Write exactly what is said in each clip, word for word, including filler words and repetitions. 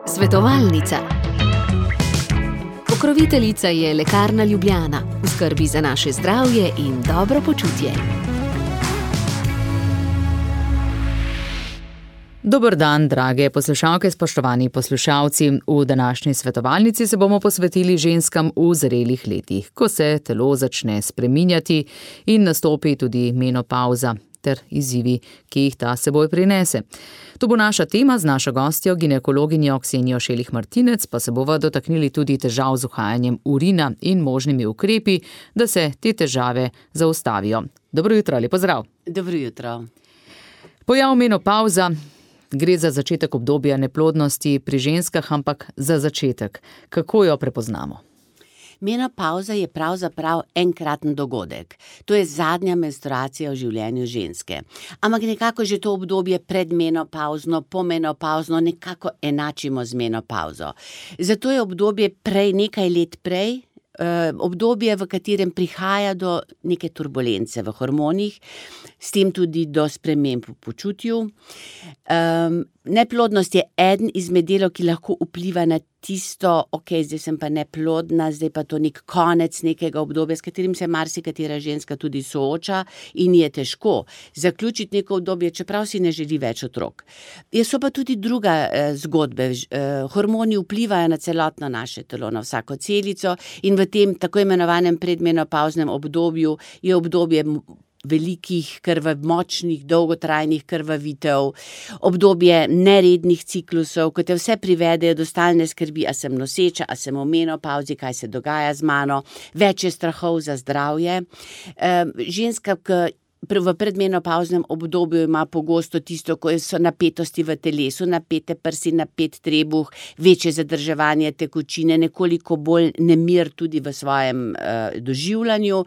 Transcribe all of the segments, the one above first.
Svetovalnica. Pokroviteljica je Lekarna Ljubljana, v skrbi za naše zdravje in dobro počutje. Dober dan, drage poslušalke, spoštovani poslušalci. V današnji svetovalnici se bomo posvetili ženskam v zrelih letih, ko se telo začne spreminjati in nastopi tudi menopavza ter izzivi, ki jih ta seboj prinese. To bo naša tema z našo gostjo, ginekologinjo Ksenijo Šelih Martinec, pa se bova dotaknili tudi težav z uhajanjem urina in možnimi ukrepi, da se te težave zaustavijo. Dobro jutro ali pozdrav. Dobro jutro. Pojav menopavza. Gre za začetek obdobja neplodnosti pri ženskah, ampak za začetek. Kako jo prepoznamo? Menopavza je pravzaprav enkraten dogodek. To je zadnja menstruacija v življenju ženske. Ampak nekako že to obdobje predmenopavzno, pomenopavzno nekako enačimo z menopavzo. Zato je obdobje prej, nekaj let prej, obdobje, v katerem prihaja do neke turbulence v hormonih, s tem tudi do sprememb v počutju. Um, neplodnost je eden izmed delov, ki lahko vpliva na tisto, ok, zdaj sem pa neplodna, zdaj pa to nek konec nekega obdobja, s katerim se marsikatera ženska tudi sooča in je težko zaključiti neko obdobje, čeprav si ne želi več otrok. So pa tudi druga eh, zgodbe. Eh, hormoni vplivajo na celotno naše telo, na vsako celico in v tem tako imenovanem predmenopavznem obdobju je obdobje velikih, krvav, močnih, dolgotrajnih krvavitev, obdobje nerednih ciklusov, ko te vse privedejo do stalne skrbi, a sem noseča, a sem v menopavzi, kaj se dogaja z mano, več je strahov za zdravje. E, ženska, ki v predmenopavznem obdobju ima pogosto tisto, ko so napetosti v telesu, napete prsi, napet trebuh, večje zadrževanje tekočine, nekoliko bolj nemir tudi v svojem uh, doživljanju.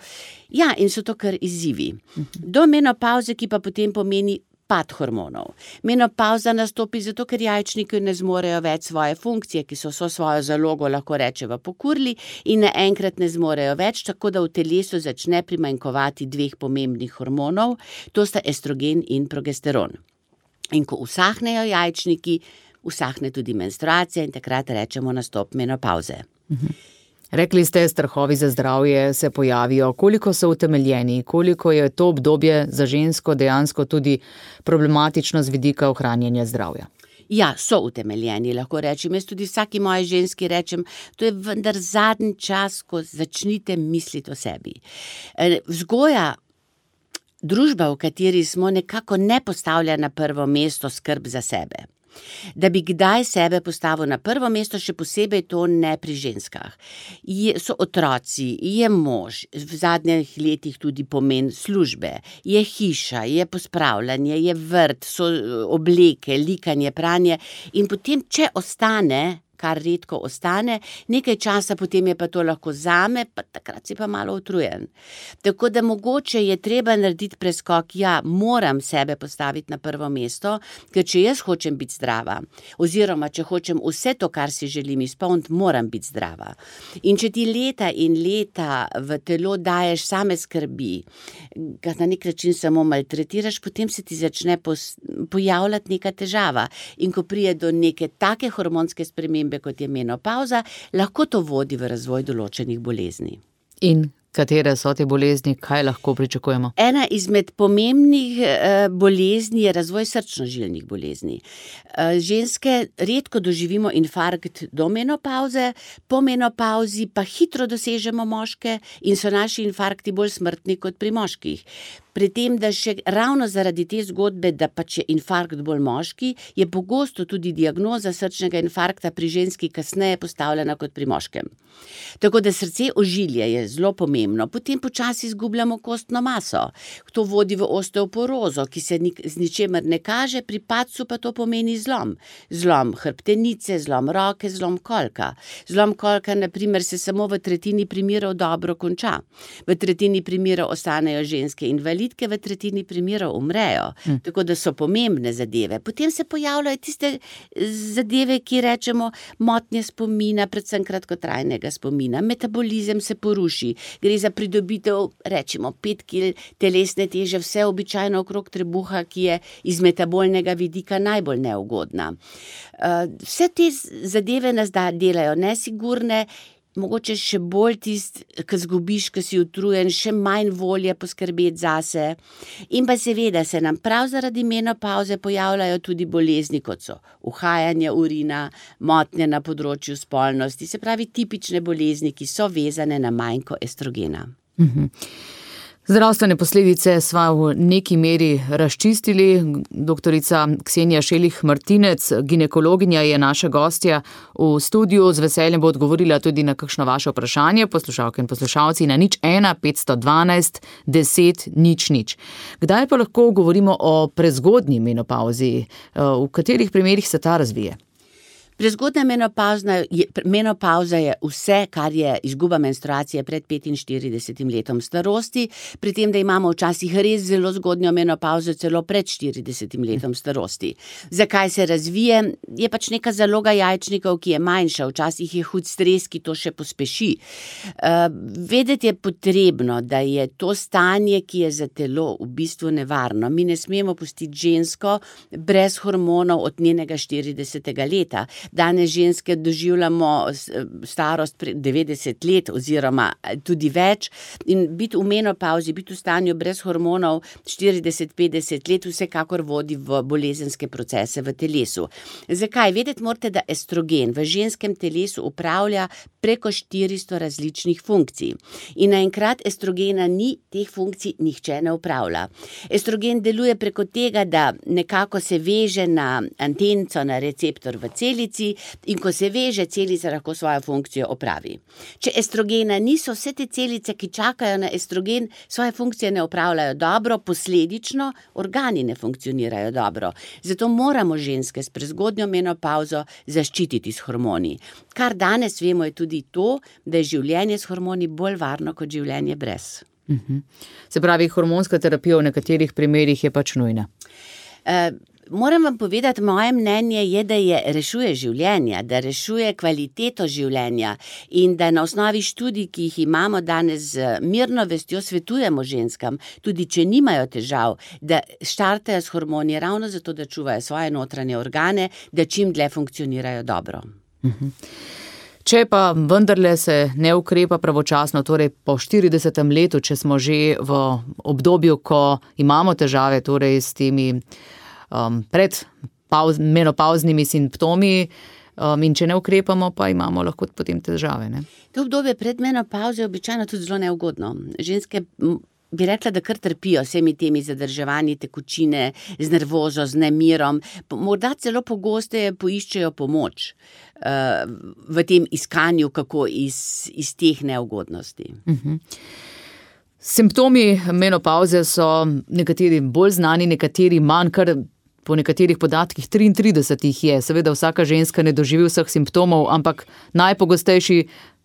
Ja, in so to kar izzivi. Do menopavze, ki pa potem pomeni pad hormonov. Menopavza nastopi zato, ker jajčniki ne zmorejo več svoje funkcije, ki so vso svojo zalogo, lahko rečeva, pokurili in naenkrat ne zmorejo več, tako da v telesu začne primanjkovati dveh pomembnih hormonov, to sta estrogen in progesteron. In ko usahnejo jajčniki, usahne tudi menstruacija in takrat rečemo nastop menopavze. Mhm. Rekli ste, strahovi za zdravje se pojavijo. Koliko so utemeljeni? Koliko je to obdobje za žensko dejansko tudi problematično z vidika ohranjanja zdravja? Ja, so utemeljeni, lahko rečem. Jaz tudi vsaki moji ženski rečem, to je vendar zadnji čas, ko začnite misliti o sebi. Vzgoja, družba, v kateri smo, nekako ne postavlja na prvo mesto skrb za sebe. Da bi kdaj sebe postavil na prvo mesto, še posebej to ne pri ženskah. Je, so otroci, je mož, v zadnjih letih tudi pomen službe, je hiša, je pospravljanje, je vrt, so obleke, likanje, pranje in potem, če ostane, kar redko ostane, nekaj časa potem je pa to lahko zame, pa takrat si pa malo utrujen. Tako da mogoče je treba narediti preskok, ja, moram sebe postaviti na prvo mesto, ker če jaz hočem biti zdrava, oziroma če hočem vse to, kar si želim izpolniti, moram biti zdrava. In če ti leta in leta v telo daješ same skrbi, ga na nek način samo maltretiraš, potem se ti začne pojavljati neka težava. In ko prije do neke take hormonske spremembe, kot je menopavza, lahko to vodi v razvoj določenih bolezni. In katere so te bolezni, kaj lahko pričakujemo? Ena izmed pomembnih eh, bolezni je razvoj srčno-žilnih bolezni. Eh, ženske redko doživimo infarkt do menopavze, po menopavzi pa hitro dosežemo moške in so naši infarkti bolj smrtni kot pri moških. Pri tem, da še ravno zaradi te zgodbe, da pač je infarkt bolj moški, je pogosto tudi diagnoza srčnega infarkta pri ženski kasneje postavljena kot pri moškem. Tako da srce ožilje je zelo pomembno. Potem počasi izgubljamo kostno maso. To vodi v osteoporozo, ki se nik, z ničemer ne kaže, pri padcu pa to pomeni zlom. Zlom hrbtenice, zlom roke, zlom kolka. Zlom kolka, na primer, se samo v tretjini primerov dobro konča. V tretjini primerov ostanejo ženske invalidke, zaplitke v tretjini primerov umrejo, hm. tako da so pomembne zadeve. Potem se pojavljajo tiste zadeve, ki rečemo motnje spomina, predvsem kratkotrajnega spomina. Metabolizem se poruši, gre za pridobitev, rečemo, pet kil telesne teže, vse običajno okrog trebuha, ki je iz metabolnega vidika najbolj neugodna. Vse te zadeve nas da delajo nesigurne, mogoče še bolj tist, ki zgubiš, ki si utrujen, še manj volje poskrbeti zase. In pa seveda se nam prav zaradi menopavze pojavljajo tudi bolezni, kot so uhajanje urina, motnje na področju spolnosti, se pravi tipične bolezni, ki so vezane na manjko estrogena. Mhm. Zdravstvene posledice sva v neki meri razčistili. Doktorica Ksenija Šelih Martinec, ginekologinja, je naša gostja v studiu. Z veseljem bo odgovorila tudi na kakšno vaše vprašanje, poslušalke in poslušalci, na nič ena petsto dvanajst deset nič nič. Kdaj pa lahko govorimo o prezgodnji menopavzi? V katerih primerih se ta razvije? Prezgodnja menopavza je vse, kar je izguba menstruacije pred petinštiridesetim letom starosti, pri tem, da imamo včasih res zelo zgodnjo menopavzo celo pred štiridesetim letom starosti. Zakaj se razvije? Je pač neka zaloga jajčnikov, ki je manjša, včasih je hud stres, ki to še pospeši. Uh, vedeti je potrebno, da je to stanje, ki je za telo v bistvu nevarno. Mi ne smemo pustiti žensko brez hormonov od njenega štiridesetega leta. Danes ženske doživljamo starost devetdeset let oziroma tudi več in biti v menopavzi, biti v stanju brez hormonov štirideset petdeset let vsekakor vodi v bolezenske procese v telesu. Zakaj? Vedeti morate, da estrogen v ženskem telesu upravlja preko štiristo različnih funkcij. In naenkrat estrogena ni, teh funkcij nihče ne upravlja. Estrogen deluje preko tega, da nekako se veže na antenco, na receptor v celici, in ko se veže, celica lahko svojo funkcijo opravi. Če estrogena niso, vse te celice, ki čakajo na estrogen, svoje funkcije ne opravljajo dobro, posledično organi ne funkcionirajo dobro. Zato moramo ženske s prezgodnjo menopavzo zaščititi s hormoni. Kar danes vemo je tudi to, da je življenje s hormoni bolj varno kot življenje brez. Mhm. Se pravi, hormonska terapija v nekaterih primerih je pač nujna. Uh, Moram vam povedati, moje mnenje je, da je rešuje življenja, da rešuje kvaliteto življenja in da na osnovi študij, ki jih imamo danes z mirno vestjo, svetujemo ženskam, tudi če nimajo težav, da štartajo s hormoni ravno zato, da čuvajo svoje notranje organe, da čim dlje funkcionirajo dobro. Mhm. Če pa vendarle se ne ukrepa pravočasno, torej po štiridesetem letu, če smo že v obdobju, ko imamo težave, torej s temi Um, pred pauz, menopavznimi simptomi um, in če ne ukrepamo, pa imamo lahko potem težave. Ne? To obdobje pred menopavzo je običajno tudi zelo neugodno. Ženske bi rekla, da kar trpijo vsemi temi zadrževanji tekočine, z nervozo, z nemirom. Morda celo pogosteje poiščejo pomoč uh, v tem iskanju, kako iz, iz teh neugodnosti. Uh-huh. Simptomi menopavze so nekateri bolj znani, nekateri manj, kar po nekaterih podatkih triintrideset jih je. Seveda vsaka ženska ne doživi vseh simptomov, ampak najpogostejši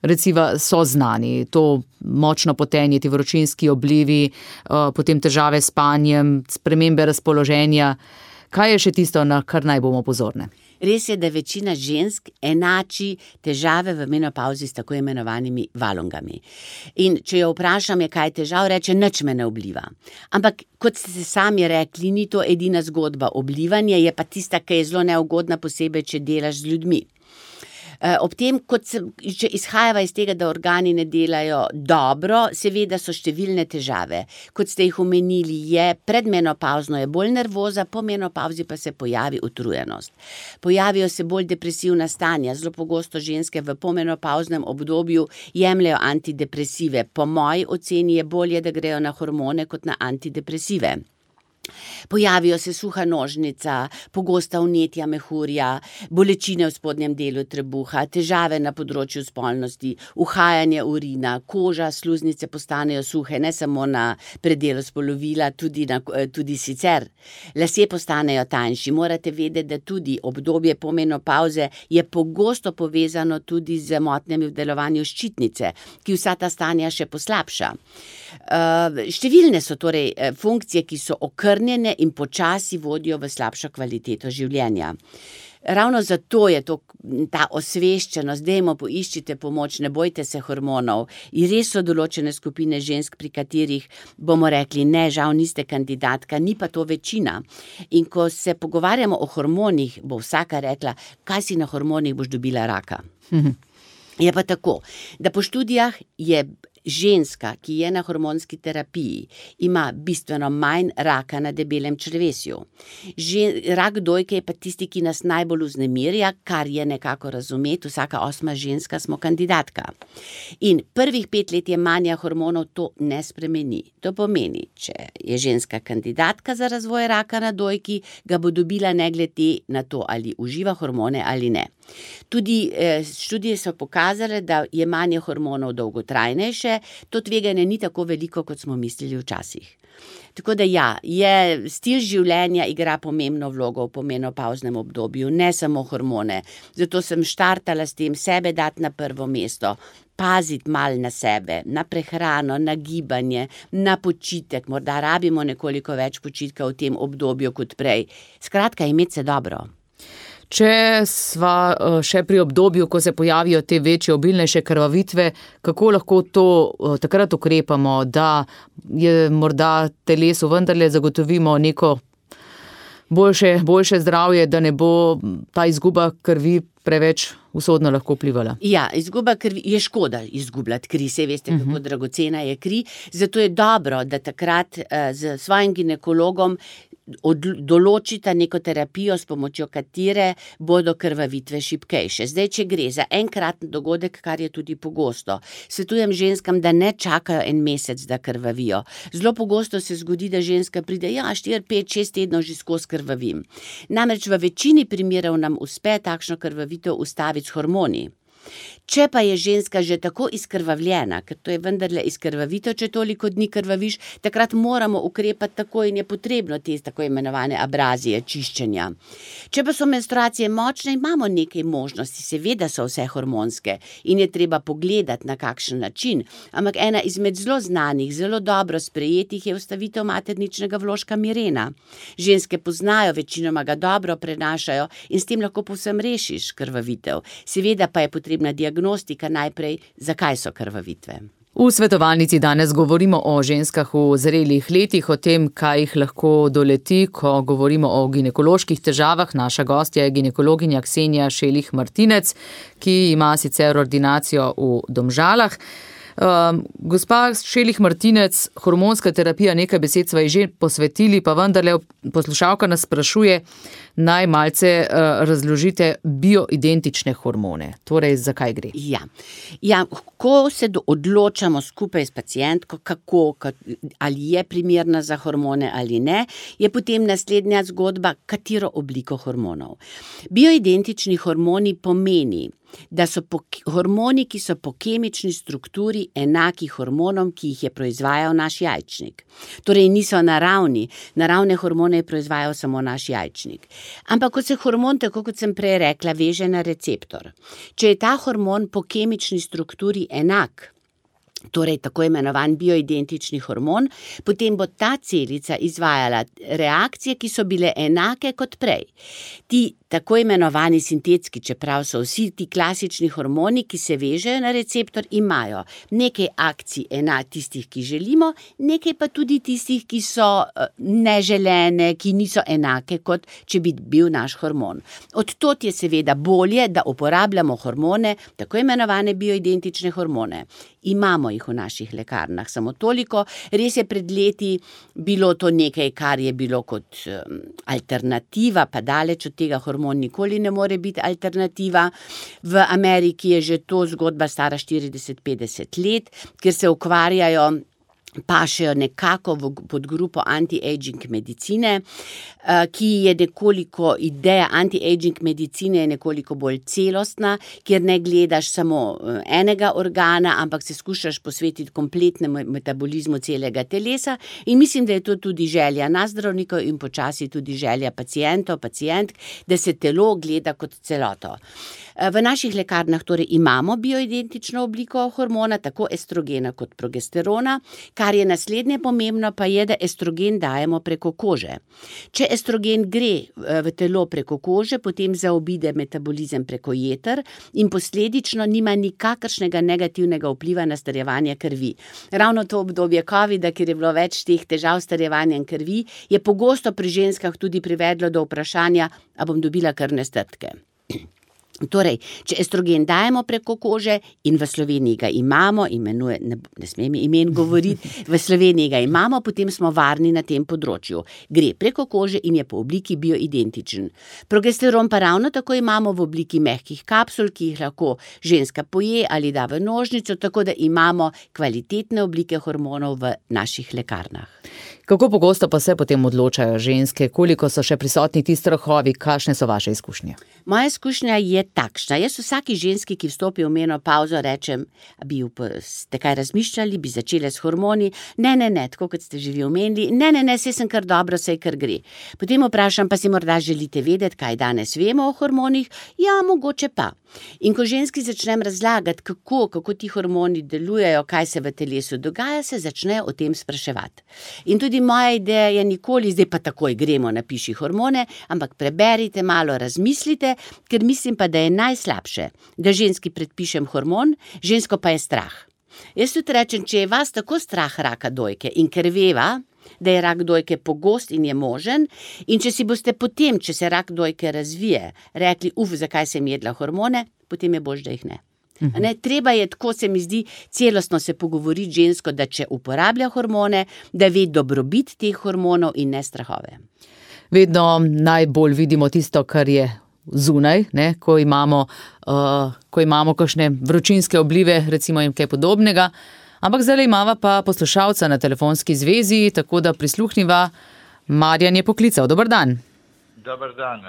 recimo so znani. To močno potenje, ti vročinski oblivi, potem težave s spanjem, spremembe razpoloženja. Kaj je še tisto, na kar naj bomo pozorne? Res je, da večina žensk enači težave v menopavzi s tako imenovanimi valongami. In če jo vprašam, je kaj težav, reče, nič me ne obliva. Ampak, kot ste sami rekli, ni to edina zgodba. Oblivanje je pa tista, ki je zelo neugodna, posebej, če delaš z ljudmi. Ob tem, kot se, če izhajava iz tega, da organi ne delajo dobro, seveda so številne težave. Kot ste jih omenili, je predmenopavzno je bolj nervoza, po menopavzi pa se pojavi utrujenost. Pojavijo se bolj depresivna stanja, zelo pogosto ženske v pomenopavznem obdobju jemljajo antidepresive. Po moji oceni je bolje, da grejo na hormone kot na antidepresive. Pojavijo se suha nožnica, pogosta vnetja mehurja, bolečine v spodnjem delu trebuha, težave na področju spolnosti, uhajanje urina, koža, sluznice postanejo suhe, ne samo na predelu spolovila, tudi, na, tudi sicer. Lasje postanejo tanjši. Morate vedeti, da tudi obdobje po menopavze je pogosto povezano tudi z motnjami v delovanju ščitnice, ki vsa ta stanja še poslabša. Uh, številne so torej funkcije, ki so okrnjene in počasi vodijo v slabšo kvaliteto življenja. Ravno zato je to, ta osveščenost, dajmo poiščite pomoč, ne bojte se hormonov. In res so določene skupine žensk, pri katerih bomo rekli, ne, žal niste kandidatka, ni pa to večina. In ko se pogovarjamo o hormonih, bo vsaka rekla, kaj si na hormonih, boš dobila raka. Mhm. Je pa tako, da po študijah je ženska, ki je na hormonski terapiji, ima bistveno manj raka na debelem črevesju. Žen, rak dojke je pa tisti, ki nas najbolj vznemirja, kar je nekako razumeti, vsaka osma ženska smo kandidatka. In prvih pet let jemanja hormonov to ne spremeni. To pomeni, če je ženska kandidatka za razvoj raka na dojki, ga bo dobila ne glede na to, ali uživa hormone ali ne. Tudi eh, študije so pokazale, da jemanje hormonov dolgotrajnejše, to tveganje ni tako veliko, kot smo mislili včasih. Tako da ja, je stil življenja igra pomembno vlogo v pomenopavznem obdobju, ne samo hormone. Zato sem štartala s tem sebe dati na prvo mesto, paziti mal na sebe, na prehrano, na gibanje, na počitek, morda rabimo nekoliko več počitka v tem obdobju kot prej. Skratka, imeti se dobro. Če sva še pri obdobju, ko se pojavijo te večje, obilnejše krvavitve, kako lahko to takrat ukrepamo, da je morda telesu vendarle zagotovimo neko boljše, boljše zdravje, da ne bo ta izguba krvi preveč usodno lahko vplivala? Ja, izguba krvi je škoda izgubljati kri, saj veste, kako uh-huh. dragocena je kri, zato je dobro, da takrat uh, z svojim ginekologom Od, določita neko terapijo, s pomočjo katere bodo krvavitve šibkejše. Zdaj, če gre za enkratni dogodek, kar je tudi pogosto, svetujem ženskam, da ne čakajo en mesec, da krvavijo. Zelo pogosto se zgodi, da ženska pride, ja, štiri, pet, šest tednov že skozi krvavim. Namreč v večini primerov nam uspe takšno krvavitev ustaviti s hormoni. Če pa je ženska že tako izkrvavljena, ker to je vendarle izkrvavitev, če toliko dni krvaviš, takrat moramo ukrepati tako in je potrebno te tako imenovane abrazije, čiščenja. Če pa so menstruacije močne, imamo nekaj možnosti, seveda so vse hormonske in je treba pogledati, na kakšen način, ampak ena izmed zelo znanih, zelo dobro sprejetih je ustavitev materničnega vložka Mirena. Ženske poznajo, večinoma ga dobro prenašajo in s tem lahko povsem rešiš krvavitev. Seveda pa je potrebna diagnostika najprej, zakaj so krvavitve. V svetovalnici danes govorimo o ženskah v zrelih letih, o tem, kaj jih lahko doleti, ko govorimo o ginekoloških težavah. Naša gostja je ginekologinja Ksenija Šelih Martinec, ki ima sicer ordinacijo v Domžalah. Um, gospa Šelih Martinec, hormonska terapija, nekaj besed sva ji že posvetili, pa vendarle poslušalka nas sprašuje, naj malce uh, razložite bioidentične hormone. Torej, zakaj gre? Ja, ja ko se do, odločamo skupaj s pacientko, kako, ali je primerna za hormone ali ne, je potem naslednja zgodba, katero obliko hormonov. Bioidentični hormoni pomeni, da so po, hormoni, ki so po kemični strukturi enaki hormonom, ki jih je proizvajal naš jajčnik. Torej niso naravni, naravne hormone je proizvajal samo naš jajčnik. Ampak ko se hormon, tako kot sem prej rekla, veže na receptor, če je ta hormon po kemični strukturi enak, torej tako imenovan bioidentični hormon, potem bo ta celica izvajala reakcije, ki so bile enake kot prej. Ti tako imenovani sintetski, čeprav so vsi ti klasični hormoni, ki se vežejo na receptor, imajo nekaj akcij ena tistih, ki želimo, nekaj pa tudi tistih, ki so neželene, ki niso enake, kot če bi bil naš hormon. Od tod je seveda bolje, da uporabljamo hormone, tako imenovane bioidentične hormone. Imamo jih v naših lekarnah, samo toliko. Res je pred leti bilo to nekaj, kar je bilo kot um, alternativa, pa daleč od tega hormon nikoli ne more biti alternativa. V Ameriki je že to zgodba stara štirideset petdeset let, ker se ukvarjajo pašejo nekako v podgrupo anti-aging medicine, ki je nekoliko, ideja anti-aging medicine je nekoliko bolj celostna, kjer ne gledaš samo enega organa, ampak se skušaš posvetiti kompletnemu metabolizmu celega telesa in mislim, da je to tudi želja nas zdravnikov in počasi tudi želja pacientov, pacientk, da se telo gleda kot celoto. V naših lekarnah torej imamo bioidentično obliko hormona, tako estrogena kot progesterona. Kar je naslednje pomembno, pa je, da estrogen dajemo preko kože. Če estrogen gre v telo preko kože, potem zaobide metabolizem preko jeter in posledično nima nikakršnega negativnega vpliva na starjevanje krvi. Ravno to obdobje covida, ker je bilo več teh težav s starjevanjem krvi, je pogosto pri ženskah tudi privedlo do vprašanja, a bom dobila krvne strdke. Torej, če estrogen dajemo preko kože in v Sloveniji ga imamo, imenuje, ne, ne smem imen govoriti, v Sloveniji ga imamo, potem smo varni na tem področju. Gre preko kože in je po obliki bioidentičen. Progesteron pa ravno tako imamo v obliki mehkih kapsul, ki jih lahko ženska poje ali da v nožnico, tako da imamo kvalitetne oblike hormonov v naših lekarnah. Kako pogosto pa se potem odločajo ženske, koliko so še prisotni ti strahovi, kakšne so vaše izkušnje? Moja izkušnja je takšna. Jaz vsaki ženski, ki vstopi v menopavzo, rečem, bi ste kaj razmišljali, bi začele s hormoni, ne, ne, ne, tako kot ste že vi omenili, ne, ne, ne, saj sem kar dobro, saj kar gre. Potem vprašam, pa si morda želite vedeti, kaj danes vemo o hormonih? Ja, mogoče pa. In ko ženski začnem razlagati, kako, kako ti hormoni delujejo, kaj se v telesu dogaja, se začnejo o tem spraševati. In tudi moja ideja je nikoli, zdaj pa takoj gremo, napiši hormone, ampak preberite malo, razmislite, ker mislim pa, da je najslabše, da ženski predpišem hormon, žensko pa je strah. Jaz tudi rečem, če je vas tako strah raka dojke in ker veva, da je rak dojke pogost in je možen, in če si boste potem, če se rak dojke razvije, rekli, uf, zakaj sem jedla hormone, potem je bož, da jih ne. Ne, treba je, tako se mi zdi, celostno se pogovoriti žensko, da če uporablja hormone, da ve dobrobit teh hormonov in ne strahove. Vedno najbolj vidimo tisto, kar je zunaj, ne, ko imamo, uh, ko imamo kakšne vročinske oblive, recimo in kaj podobnega. Ampak zdaj imava pa poslušalca na telefonski zvezi, tako da prisluhniva. Marjan je poklical. Dobar dan. Dobar dan.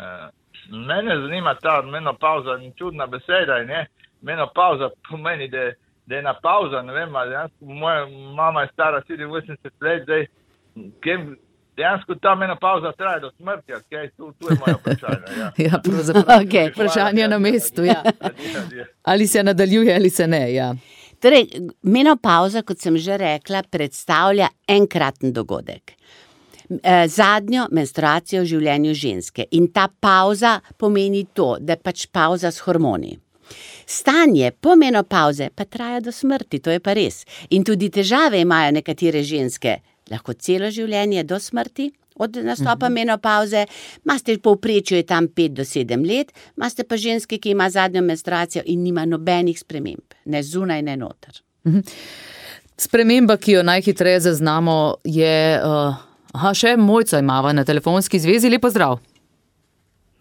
Mene zanima ta menopauza, čudna beseda, ne? Menopauza pomeni, da, da je na pauza, ne vem, dejansko moja mama je stara sedeminosemdeset let, zdaj, kem, dejansko ta menopauza traja do smrti, okay? tu, tu je moja vprašanja. Ja, ja pravzaprav, okay, vprašanje na mestu, ja. Ali se nadaljuje, ali se ne, ja. Torej, menopauza, kot sem že rekla, predstavlja enkraten dogodek. Zadnjo menstruacijo v življenju ženske. In ta pauza pomeni to, da je pač pauza s hormoni. Stanje po menopauze pa traja do smrti, to je pa res. In tudi težave imajo nekatere ženske, lahko celo življenje do smrti, od nastopa uh-huh. menopauze, maste povprečju je tam pet do sedem let, maste pa ženske, ki ima zadnjo menstruacijo in nima nobenih sprememb, ne zunaj, ne noter. Uh-huh. Sprememba, ki jo najhitreje zaznamo, je, uh, aha, še Mojco imava na telefonski zvezi, lepo zdrav.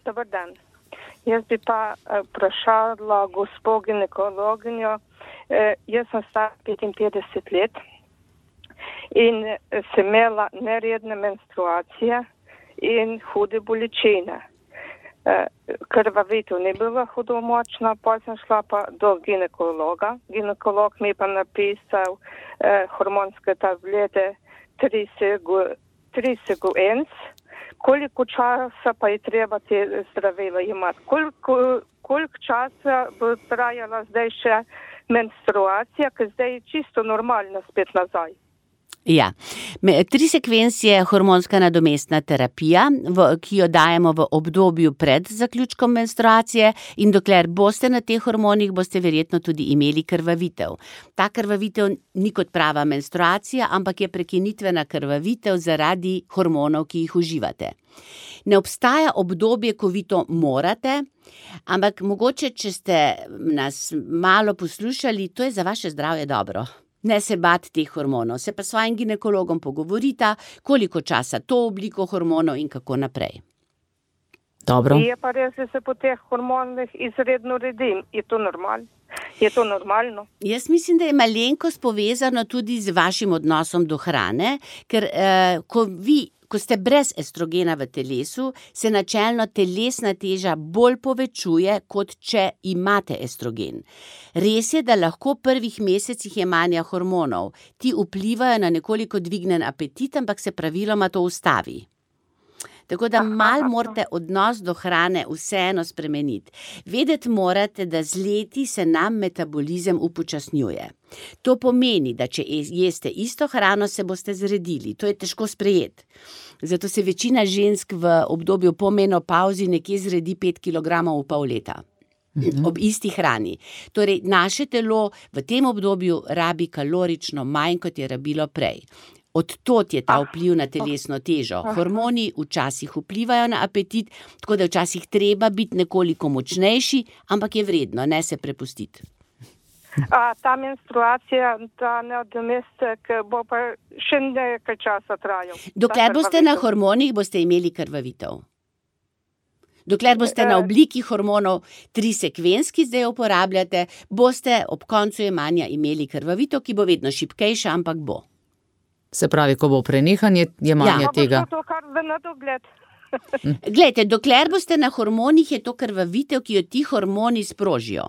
Dobar dan. Jaz bi pa vprašala gospo ginekologinjo, eh, jaz sem star petinpetdeset let, in sem imela neredne menstruacije in hude bolečine. Krvavitev ni bila hudo močna, pa sem šla pa do ginekologa. Ginekolog mi je pa napisal eh, hormonske tablete Trisiguens. Koliko časa pa je treba te zdravila imati? Koliko, koliko časa bo trajala zdaj še menstruacija, ker zdaj je čisto normalna spet nazaj? Ja, trisekvens je hormonska nadomestna terapija, v, ki jo dajemo v obdobju pred zaključkom menstruacije in dokler boste na teh hormonih, boste verjetno tudi imeli krvavitev. Ta krvavitev ni kot prava menstruacija, ampak je prekinitvena krvavitev zaradi hormonov, ki jih uživate. Ne obstaja obdobje, ko vi to morate, ampak mogoče, če ste nas malo poslušali, to je za vaše zdravje dobro. Ne se bati teh hormonov, se pa s svojim ginekologom pogovorita, koliko časa to obliko hormonov in kako naprej. Dobro. Je pa res, da se po teh hormonih izredno redim. Je to normalno? Je to normalno? Jaz mislim, da je malenkost povezano tudi z vašim odnosom do hrane, ker eh, ko vi Ko ste brez estrogena v telesu, se načelno telesna teža bolj povečuje, kot če imate estrogen. Res je, da lahko v prvih mesecih jemanja hormonov ti vplivajo na nekoliko dvignen apetit, ampak se praviloma to ustavi. Tako da malo morate odnos do hrane vseeno spremeniti. Vedeti morate, da z leti se nam metabolizem upočasnjuje. To pomeni, da če jeste isto hrano, se boste zredili. To je težko sprejeti. Zato se večina žensk v obdobju po menopavzi nekje zredi pet kilogramov v pol leta. Mhm. Ob isti hrani. Torej, naše telo v tem obdobju rabi kalorično manj, kot je rabilo prej. Odtot je ta vpliv na telesno težo. Hormoni včasih vplivajo na apetit, tako da včasih treba biti nekoliko močnejši, ampak je vredno, ne se prepustiti. A ta menstruacija, ta nadomestek bo pa še nekaj časa trajal? Dokler boste na hormonih, boste imeli krvavitev. Dokler boste na obliki hormonov trisekvenz, ki zdaj uporabljate, boste ob koncu jemanja imeli krvavitev, ki bo vedno šibkejša, ampak bo. Se pravi, ko bo prenehanje jemanja Ja, tega. pa bo to kar v nedogled. Glejte, dokler boste na hormonih, je to krvavitev, ki jo ti hormoni sprožijo.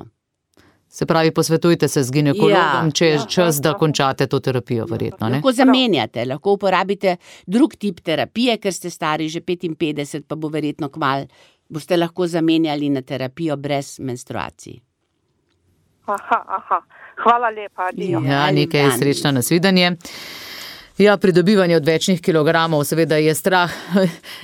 Se pravi, posvetujte se z ginekologom, Ja, če je ja. čas, da končate to terapijo, verjetno, ne? Lahko zamenjate, lahko uporabite drug tip terapije, ker ste stari že petinpetdeset, pa bo verjetno kmalu, boste lahko zamenjali na terapijo brez menstruacij. Aha, aha. Hvala lepa, adijo. Ja, Ja, nekaj dan. srečno, nasvidenje. Ja, pridobivanje odvečnih kilogramov seveda je strah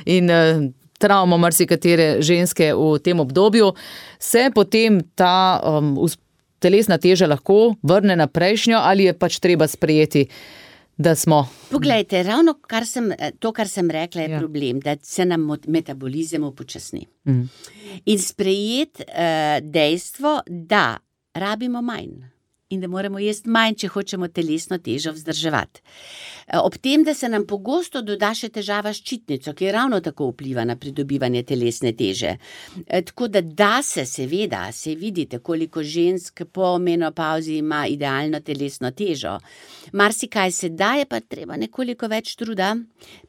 in eh, travma marsikatere ženske v tem obdobju. Se potem ta um, us- telesna teža lahko vrne na prejšnjo ali je pač treba sprejeti, da smo... Poglejte, ravno kar sem, to, kar sem rekla, je Ja. problem, da se nam mot- metabolizem upočasni. Mhm. In sprejeti uh, dejstvo, da rabimo manj in da moramo jesti manj, če hočemo telesno težo vzdrževati. Eh, Ob tem, da se nam pogosto doda še težava s ščitnico, ki ravno tako vpliva na pridobivanje telesne teže. Eh, Tako da da se seveda, se vidite, koliko žensk po menopavzi ima idealno telesno težo. Marsikaj se da, je pa treba nekoliko več truda,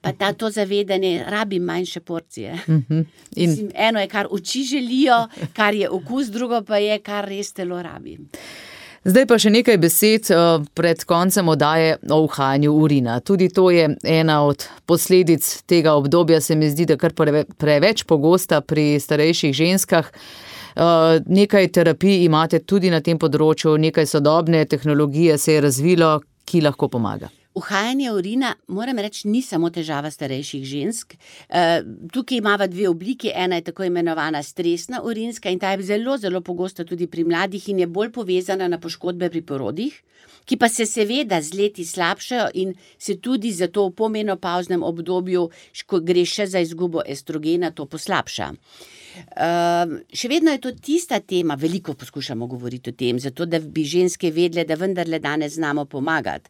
pa ta to zavedanje rabi manjše porcije. Mhm. In Mislim, eno je, kar oči želijo, kar je okus, drugo pa je, kar res telo rabi. zdaj pa še nekaj besed eh, pred koncem oddaje o uhajanju urina. Tudi to je ena od posledic tega obdobja, se mi zdi, da kar preve- preveč pogosta pri starejših ženskah. Eh, Nekaj terapij imate tudi na tem področju, nekaj sodobne tehnologije se je razvilo, ki lahko pomaga. Uhajanje urina, moram reči, ni samo težava starejših žensk. E, tukaj imava dve obliki, ena je tako imenovana stresna urinska in ta je zelo, zelo pogosta tudi pri mladih in je bolj povezana na poškodbe pri porodih, ki pa se seveda z leti slabšajo in se tudi zato v pomenopavznem obdobju, ko gre še za izgubo estrogena, to poslabša. Uh, še vedno je to tista tema, veliko poskušamo govoriti o tem, zato da bi ženske vedle, da vendarle danes znamo pomagati.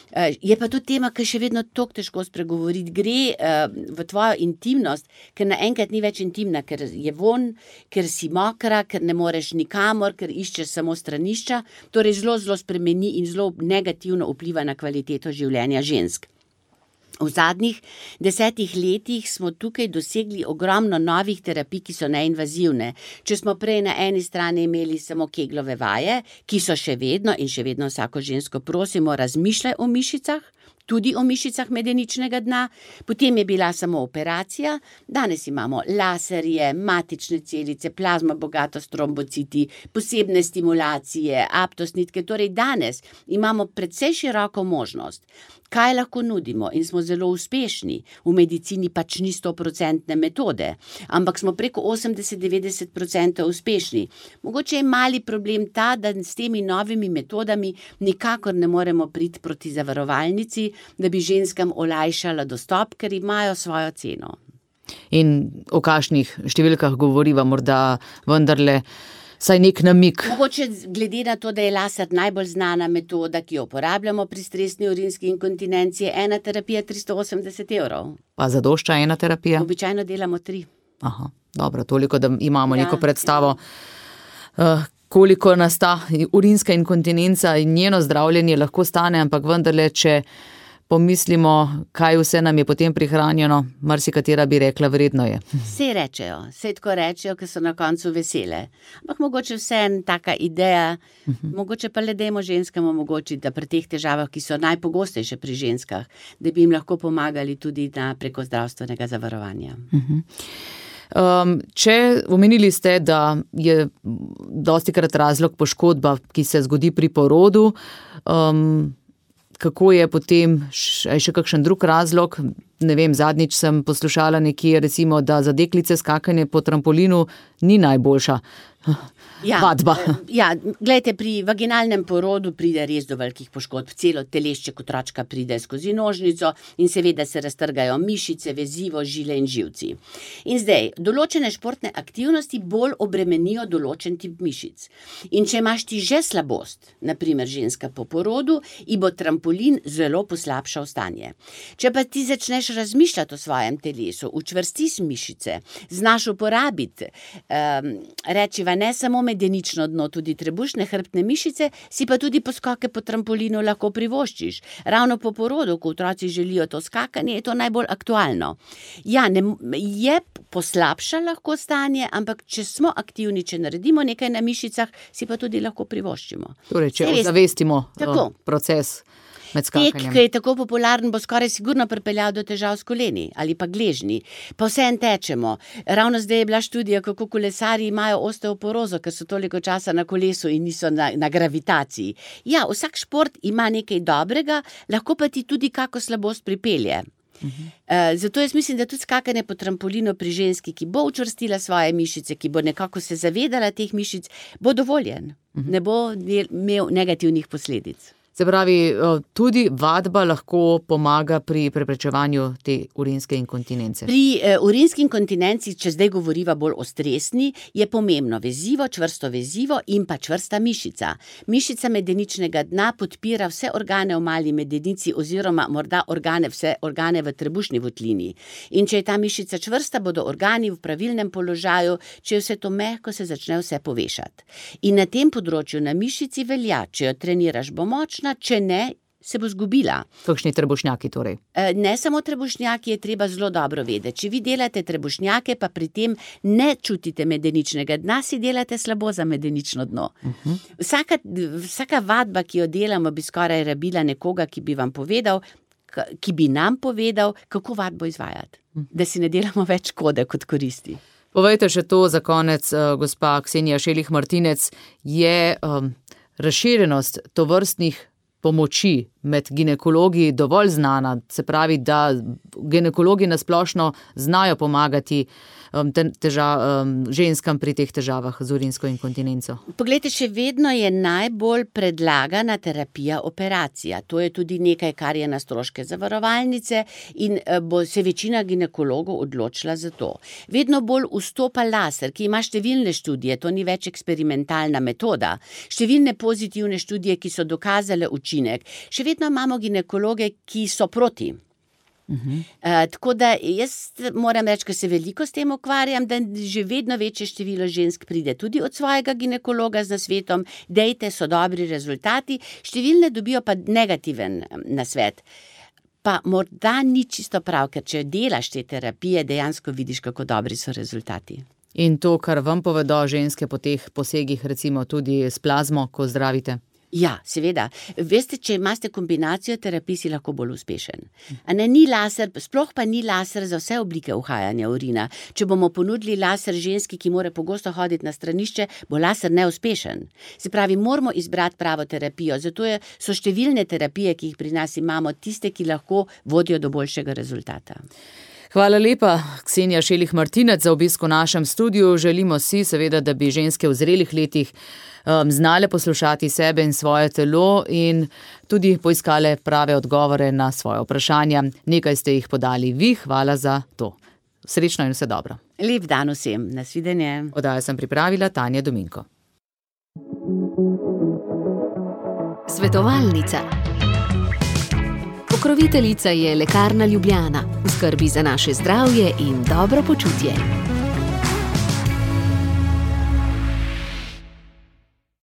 Uh, je pa to tema, ki še vedno tako težko spregovoriti. Gre uh, v tvojo intimnost, ker naenkrat ni več intimna, ker je von, ker si mokra, ker ne moreš nikamor, ker iščeš samo stranišča, torej zelo, zelo spremeni in zelo negativno vpliva na kvaliteto življenja žensk. V zadnjih desetih letih smo tukaj dosegli ogromno novih terapij, ki so neinvazivne. Če smo prej na eni strani imeli samo keglove vaje, ki so še vedno in še vedno vsako žensko prosimo, razmišljaj o mišicah, tudi o mišicah medeničnega dna, potem je bila samo operacija, danes imamo laserje, matične celice, plazma bogato s trombociti, posebne stimulacije, aptosnitke, torej danes imamo precej široko možnost. Kaj lahko nudimo in smo zelo uspešni, v medicini pač ni stoprocentne metode, ampak smo preko osemdeset do devetdeset procentov uspešni. Mogoče je mali problem ta, da s temi novimi metodami nikakor ne moremo priti proti zavarovalnici, da bi ženskam olajšala dostop, ker imajo svojo ceno. In o kakšnih številkah govoriva morda vendarle saj nek namik. Mogoče glede na to, da je laser najbolj znana metoda, ki jo uporabljamo pri stresni urinski inkontinenci, je ena terapija tristo osemdeset evrov. Pa zadošča ena terapija? Običajno delamo tri. Aha, dobro, toliko, da imamo Ja, neko predstavo, uh, koliko nas ta urinska inkontinenca in njeno zdravljenje lahko stane, ampak vendarle, če pomislimo, kaj vse nam je potem prihranjeno, marsikatera bi rekla, vredno je. Vse rečejo, vse tako rečejo, ker so na koncu vesele. Ampak mogoče vse en taka ideja, mogoče pa le dajmo ženskam omogočiti, da pri teh težavah, ki so najpogostejše pri ženskah, da bi jim lahko pomagali tudi na preko zdravstvenega zavarovanja. Um, če omenili ste, da je dostikrat razlog poškodba, ki se zgodi pri porodu, um, kako je potem še, še kakšen drug razlog? Ne vem, zadnjič sem poslušala nekje, recimo, da za deklice skakanje po trampolinu ni najboljša Ja, vadba. ja, glejte, pri vaginalnem porodu pride res do velikih poškodb. Celo telešče otročka pride skozi nožnico in seveda se raztrgajo mišice, vezivo, žile in živci. In zdaj, določene športne aktivnosti bolj obremenijo določen tip mišic. In če imaš ti že slabost, na primer ženska po porodu, ji bo trampolin zelo poslabšal stanje. Če pa ti začneš razmišljati o svojem telesu, učvrstiš mišice, znaš uporabiti, um, rečiva ne samo medenično dno, tudi trebušne hrbtne mišice, si pa tudi poskoke po trampolinu lahko privoščiš. Ravno po porodu, ko otroci želijo to skakanje, je to najbolj aktualno. Ja, ne, je poslabša lahko stanje, ampak če smo aktivni, če naredimo nekaj na mišicah, si pa tudi lahko privoščimo. Torej, če Saj veste, ozavestimo tako. uh, proces med Tek, skakanjem. ki je tako popularen, bo skoraj sigurno pripeljal do težav s koleni ali pa gležnji. Pa vseeno tečemo. Ravno zdaj je bila študija, kako kolesarji imajo osteoporozo, ker so toliko časa na kolesu in niso na, na gravitaciji. Ja, vsak šport ima nekaj dobrega, lahko pa ti tudi kako slabost pripelje. Uh-huh. Uh, zato jaz mislim, da tudi skakanje po trampolinu pri ženski, ki bo učvrstila svoje mišice, ki bo nekako se zavedala teh mišic, bo dovoljen. Uh-huh. Ne bo imel negativnih posledic. Se pravi, tudi vadba lahko pomaga pri preprečevanju te urinske inkontinence. Pri uh, urinski inkontinenci, če zdaj govoriva bolj o stresni, je pomembno vezivo, čvrsto vezivo in pa čvrsta mišica. Mišica medeničnega dna podpira vse organe v mali medenici oziroma morda organe, vse organe v trebušni votlini. In če je ta mišica čvrsta, bodo organi v pravilnem položaju, če je vse to mehko, se začne vse povešati. In na tem področju na mišici velja, če jo treniraš, bo močna, če ne, se bo zgubila. Kakšni trebušnjaki torej? Ne samo trebušnjaki, je treba zelo dobro vedeti. Če vi delate trebušnjake, pa pri tem ne čutite medeničnega dna, si delate slabo za medenično dno. Uh-huh. Vsaka, vsaka vadba, ki jo delamo, bi skoraj rabila nekoga, ki bi vam povedal, ki bi nam povedal, kako vadbo izvajati. Uh-huh. Da si ne delamo več škode kot koristi. Povejte še to za konec, gospa Ksenija Šelih Martinec, je um, razširjenost tovrstnih pomoči med ginekologi dovolj znana, se pravi, da ginekologi nasplošno znajo pomagati um, teža, um, ženskam pri teh težavah z urinsko inkontinenco. Poglejte, še vedno je najbolj predlagana terapija operacija. To je tudi nekaj, kar je na stroške zavarovalnice in bo se večina ginekologov odločila za to. Vedno bolj vstopa laser, ki ima številne študije, to ni več eksperimentalna metoda, številne pozitivne študije, ki so dokazale učinek. Še vedno imamo ginekologe, ki so proti. Uh-huh. Uh, tako da jaz moram reči, ker se veliko s tem ukvarjam, da že vedno večje število žensk pride tudi od svojega ginekologa z nasvetom, dejte, so dobri rezultati, številne dobijo pa negativen nasvet. Pa morda ni čisto prav, ker če delaš te terapije, dejansko vidiš, kako dobri so rezultati. In to, kar vam povedo ženske po teh posegih, recimo tudi s plazmo, ko zdravite? Ja, seveda. Veste, če imate kombinacijo terapij, si lahko bolj uspešen. A ne, ni laser, sploh pa ni laser za vse oblike uhajanja urina. Če bomo ponudili laser ženski, ki mora pogosto hoditi na stranišče, bo laser neuspešen. Se pravi, moramo izbrati pravo terapijo, zato je, so številne terapije, ki jih pri nas imamo, tiste, ki lahko vodijo do boljšega rezultata. Hvala lepa, Ksenija Šelih Martinec, za obisk v našem studiu. Želimo si seveda, da bi ženske v zrelih letih um, znale poslušati sebe in svoje telo in tudi poiskale prave odgovore na svoje vprašanja. Nekaj ste jih podali vi, hvala za to. Srečno in vse dobro. Lep dan vsem, nasvidenje. Oddajo sem pripravila Tanja Dominko. Svetovalnica. Pokroviteljica je Lekarna Ljubljana, v skrbi za naše zdravje in dobro počutje.